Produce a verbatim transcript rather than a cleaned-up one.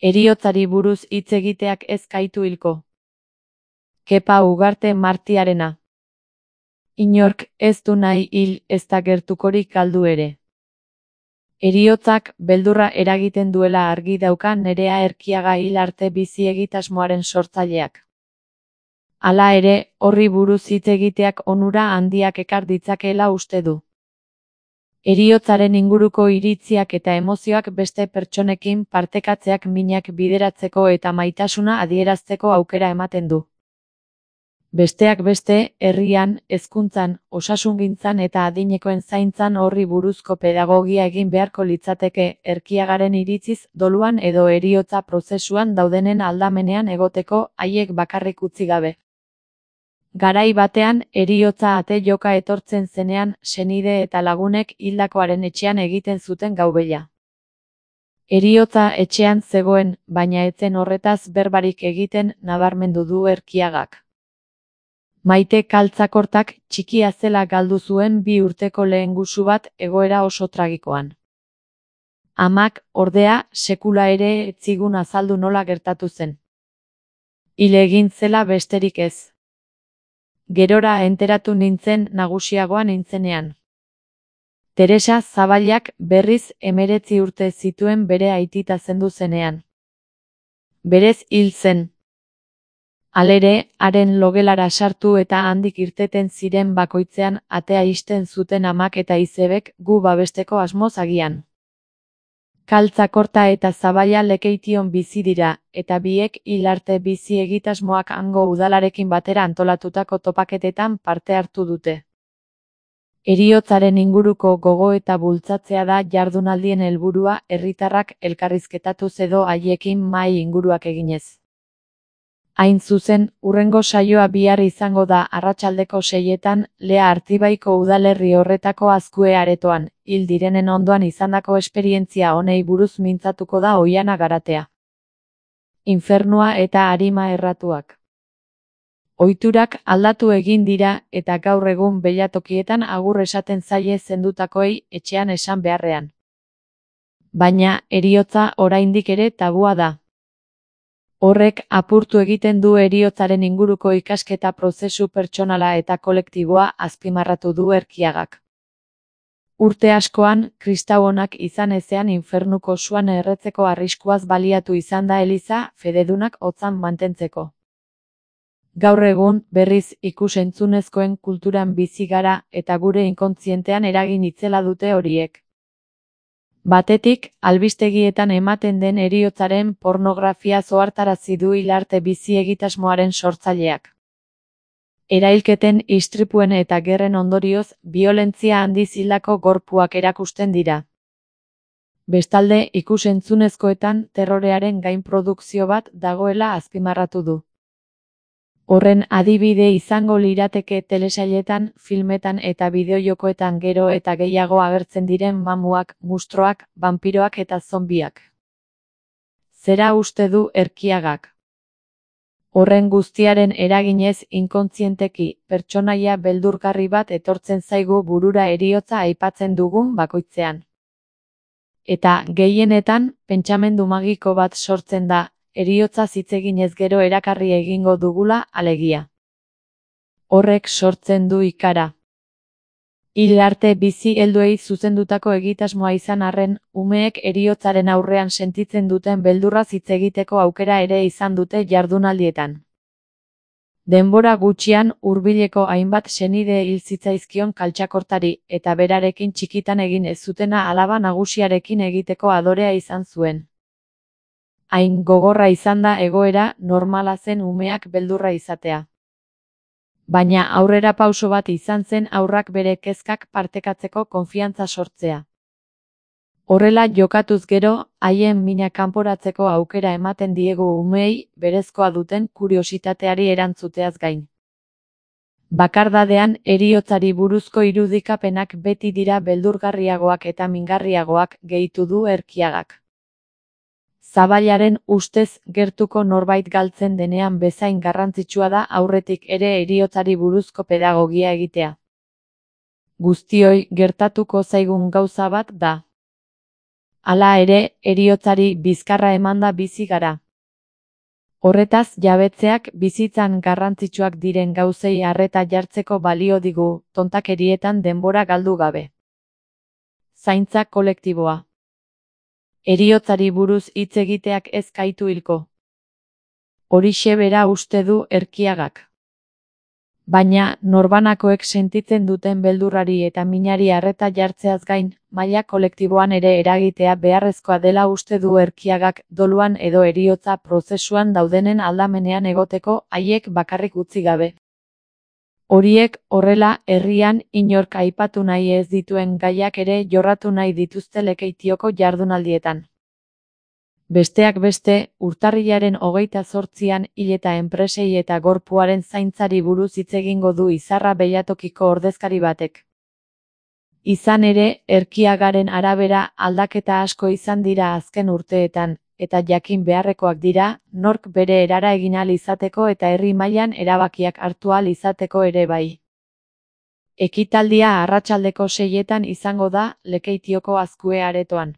Heriotzari buruz hitz egiteak ez gaitu hilko. Kepa Ugarte Martiarena. Inork ez du nahi hil ezta gertukorik galdu ere. Heriotzak beldurra eragiten duela argi dauka Nerea Erkiaga hil arte bizi egitasmoaren sortzaileak. Hala ere, horri buruz hitz egiteak onura handiak ekar ditzakeela uste du. Heriotzaren inguruko iritziak eta emozioak beste pertsonekin partekatzeak minak bideratzeko eta maitasuna adierazteko aukera ematen du. Besteak beste, herrian, hezkuntzan, osasungintzan eta adinekoen zaintzan horri buruzko pedagogia egin beharko litzateke, Erkiagaren iritziz, doluan edo heriotza prozesuan daudenen aldamenean egoteko, haiek bakarrik utzi gabe. Garai batean, heriotza ate joka etortzen zenean, senide eta lagunek hildakoaren etxean egiten zuten gaubela. Heriotza etxean zegoen, baina ez zen horretaz berbarik egiten nabarmendu du Erkiagak. Maite Kaltzakortak txikia zela galdu zuen bi urteko lehengusu bat egoera oso tragikoan. Amak, ordea, sekula ere ez zigun azaldu nola gertatu zen. Hil egin zela besterik ez. Gerora enteratu nintzen nagusiagoa nintzenean. Teresa Zabalak berriz hemeretzi urte zituen bere aitita zendu zenean. Berez hil zen. Halere, haren logelara sartu eta handik irteten ziren bakoitzean atea ixten zuten amak eta izebek gu babesteko asmoz agian. Kaltzakorta eta Zabala Lekeition bizi dira, eta biek hil arte bizi egitasmoak hango udalarekin batera antolatutako topaketetan parte hartu dute. Heriotzaren inguruko gogo eta bultzatzea da jardunaldien helburua herritarrak elkarrizketatuz edo haiekin mahai inguruak eginez. Hain zuzen, hurrengo saioa bihar izango da arratsaldeko seietan, Lea Artibaiko udalerri horretako Azkue aretoan, hil direnen ondoan izandako esperientzia honei buruz mintzatuko da Oihana Garatea. Infernua eta arima erratuak. Ohiturak aldatu egin dira eta gaur egun belatokietan agur esaten zaie zendutakoei etxean esan beharrean. Baina, heriotza oraindik ere tabua da. Horrek apurtu egiten du heriotzaren inguruko ikasketa prozesu pertsonala eta kolektiboa azpimarratu du Erkiagak. Urte askoan, kristau onak izan ezean infernuko suan erretzeko arriskuaz baliatu izan da eliza fededunak hotzan mantentzeko. Gaur egun, berriz ikus-entzunezkoen kulturan bizi gara eta gure inkontzientean eragin itzela dute horiek. Batetik, albistegietan ematen den heriotzaren pornografia zohartarazi du hil arte bizi egitasmoaren sortzaileak. Erailketen, istripuen eta gerren ondorioz, biolentzia handiz hildako gorpuak erakusten dira. Bestalde, ikus-entzunezkoetan terrorearen gainprodukzio bat dagoela azpimarratu du. Horren adibide izango lirateke telesailetan, filmetan eta bideojokoetan gero eta gehiago agertzen diren mamuak, mustroak, banpiroak eta zombiak. Zera uste du Erkiagak? Horren guztiaren eraginez inkontzienteki, pertsonaia beldurgarri bat etortzen zaigu burura heriotza aipatzen dugun bakoitzean. Eta, gehienetan, pentsamendu magiko bat sortzen da, heriotza hitz eginez gero erakarri egingo dugula, alegia. Horrek sortzen du ikara. Hil arte bizi helduei zuzendutako egitasmoa izan arren, umeek heriotzaren aurrean sentitzen duten beldurraz hitz egiteko aukera ere izan dute jardunaldietan. Denbora gutxian hurbileko hainbat senide hil zitzaizkion Kaltzakortari, eta berarekin txikitan egin ez zutena alaba nagusiarekin egiteko adorea izan zuen. Hain gogorra izan da egoera, normala zen umeak beldurra izatea. Baina aurrera pauso bat izan zen haurrak bere kezkak partekatzeko konfiantza sortzea. Horrela jokatuz gero, haien mina kanporatzeko aukera ematen diegu umeei berezkoa duten kuriositateari erantzuteaz gain. Bakardadean heriotzari buruzko irudikapenak beti dira beldurgarriagoak eta mingarriagoak, gehitu du Erkiagak. Zabalaren ustez gertuko norbait galtzen denean bezain garrantzitsua da aurretik ere heriotzari buruzko pedagogia egitea. Guztioi gertatuko zaigun gauza bat da. Hala ere, heriotzari bizkarra emanda bizi gara. Horretaz jabetzeak bizitzan garrantzitsuak diren gauzei arreta jartzeko balio digu, tontakerietan denbora galdu gabe. Zaintza kolektiboa. Heriotzari buruz hitz egiteak ez gaitu hilko. Horixe bera uste du Erkiagak. Baina, norbanakoek sentitzen duten beldurrari eta minari arreta jartzeaz gain, maila kolektiboan ere eragitea beharrezkoa dela uste du Erkiagak, doluan edo heriotza prozesuan daudenen aldamenean egoteko, haiek bakarrik utzi gabe. Horiek, horrela, herrian, inork aipatu nahi ez dituen gaiak ere jorratu nahi dituzte Lekeitioko jardunaldietan. Besteak beste, urtarrilaren hogeita zortzian hil eta enpresei eta gorpuaren zaintzari buruz hitz egingo du Izarra Behiatokiko ordezkari batek. Izan ere, Erkiagaren arabera aldaketa asko izan dira azken urteetan, eta jakin beharrekoak dira, nork bere erara egin ahal izateko eta herri mailan erabakiak hartu ahal izateko ere bai. Ekitaldia arratsaldeko seietan izango da, Lekeitioko Azkue aretoan.